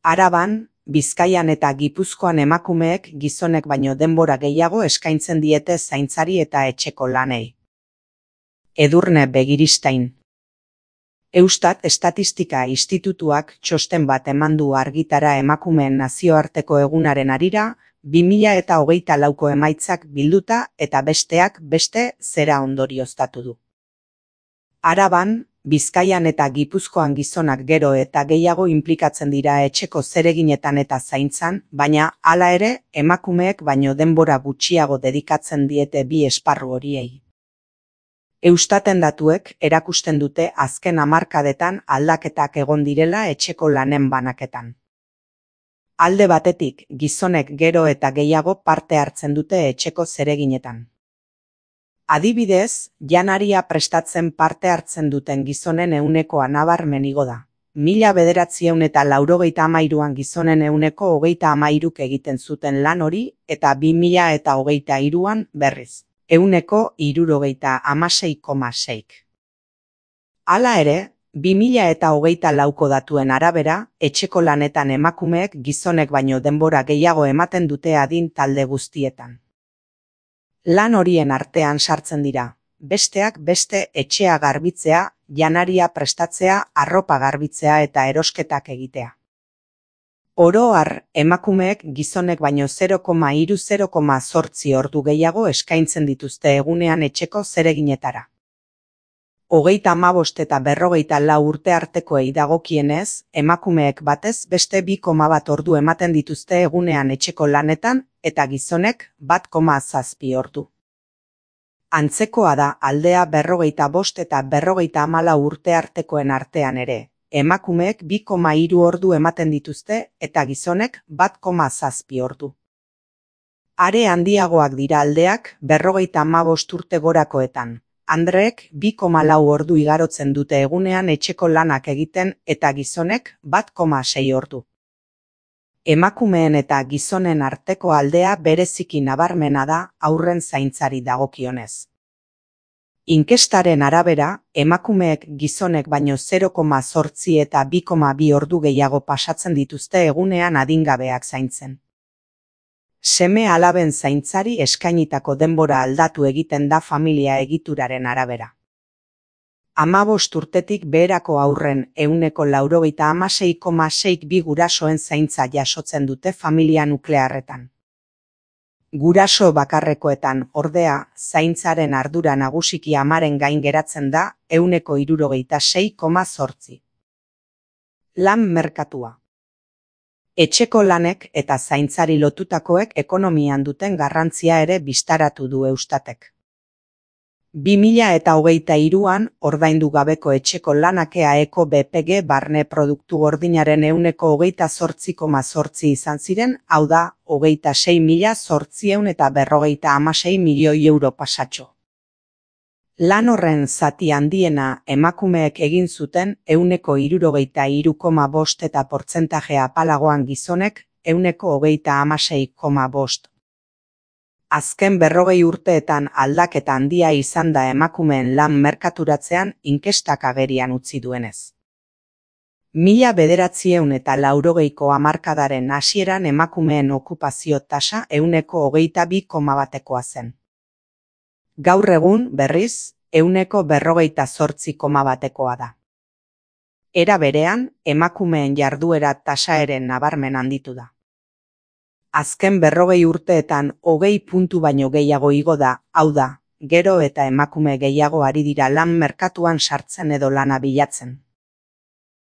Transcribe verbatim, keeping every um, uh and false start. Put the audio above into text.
Araban, Bizkaian eta Gipuzkoan emakumeek gizonek baino denbora gehiago eskaintzen diete zaintzari eta etxeko lanei. Edurne Begiristain. Eustat Estatistika Institutuak txosten bat eman du argitara emakumeen nazioarteko egunaren harira, bi mila eta hogeita lauko emaitzak bilduta eta besteak beste zera ondorioztatu du. Araban, Bizkaian eta Gipuzkoan gizonak gero eta gehiago inplikatzen dira etxeko zereginetan eta zaintzan, baina hala ere emakumeek baino denbora gutxiago dedikatzen diete bi esparru horiei. Eustaten datuek erakusten dute azken hamarkadetan aldaketak egon direla etxeko lanen banaketan. Alde batetik, gizonek gero eta gehiago parte hartzen dute etxeko zereginetan. Adibidez, janaria prestatzen parte hartzen duten gizonen ehunekoa nabarmen igo da. Mila bederatziehun eta laurogeita hamairuan gizonen ehuneko hogeita hamairuk egiten zuten lan hori eta bi mila eta hogeita hiruan berriz. Ehuneko hirurogeita hamasei koma seik. Hala ere, bi mila eta hogeita lauko datuen arabera, etxeko lanetan emakumeek gizonek baino denbora gehiago ematen dute adin talde guztietan. Lan horien artean sartzen dira, besteak beste etxea garbitzea, janaria prestatzea, arropa garbitzea eta erosketak egitea. Oro har, emakumeek gizonek baino zero koma hiru zero koma zortzi ordu gehiago eskaintzen dituzte egunean etxeko zereginetara. Hogeita hamabost eta berrogeita lau urte artekoei dagokienez, emakumeek batez beste bi koma bat ordu ematen dituzte egunean etxeko lanetan eta gizonek bat koma zazpi ordu. Antzekoa da aldea berrogeita bost eta berrogeita hamalau urte artekoen artean ere. Emakumeek bi koma hiru ordu ematen dituzte eta gizonek bat koma zazpi ordu. Are handiagoak dira aldeak berrogeita hamabost urte gorakoetan. Andreek bi koma lau ordu igarotzen dute egunean etxeko lanak egiten eta gizonek bat koma sei ordu. Emakumeen eta gizonen arteko aldea bereziki nabarmena da haurren zaintzari dagokionez. Inkestaren arabera, emakumeek gizonek baino zero koma zortzi eta bi koma bi ordu gehiago pasatzen dituzte egunean adingabeak zaintzen. Seme alaben zaintzari eskainitako denbora aldatu egiten da familia egituraren arabera. Hamabost urtetik beherako haurren ehuneko laurogeita hamasei koma seik bi gurasoen zaintza jasotzen dute familia nuklearretan. Guraso bakarrekoetan, ordea, zaintzaren ardura nagusiki amaren gain geratzen da ehuneko hirurogeita sei koma zortzi. Lan merkatua. Etxeko lanek eta zaintzari lotutakoek ekonomian duten garrantzia ere bistaratu du Eustatek. bi mila eta hogeita hiruan ordaindu gabeko etxeko lanak E A Eko B P G barne produktu gordinaren ehuneko hogeita zortzi koma zortzi izan ziren, hau da, hogeita sei mila zortziehun eta berrogeita hamasei milioi euro pasatxo. Lan horren zati handiena emakumeek egin zuten ehuneko hirurogeita hiru koma bost eta portzentaje apalagoan gizonek ehuneko hogeita hamasei koma bost. Azken berrogei urteetan aldaketa handia izan da emakumeen lan merkaturatzean inkestak agerian utzi duenez. Mila bederatziehun eta laurogeiko hamarkadaren hasieran emakumeen okupazio tasa ehuneko hogeita bi koma batekoa zen. Gaur egun, berriz, ehuneko berrogeita zortzi koma batekoa da. Era berean, emakumeen jarduera tasa ere nabarmen handitu da. Azken berrogei urteetan hogei puntu baino gehiago igo da, hau da, gero eta emakume gehiago ari dira lan merkatuan sartzen edo lana bilatzen.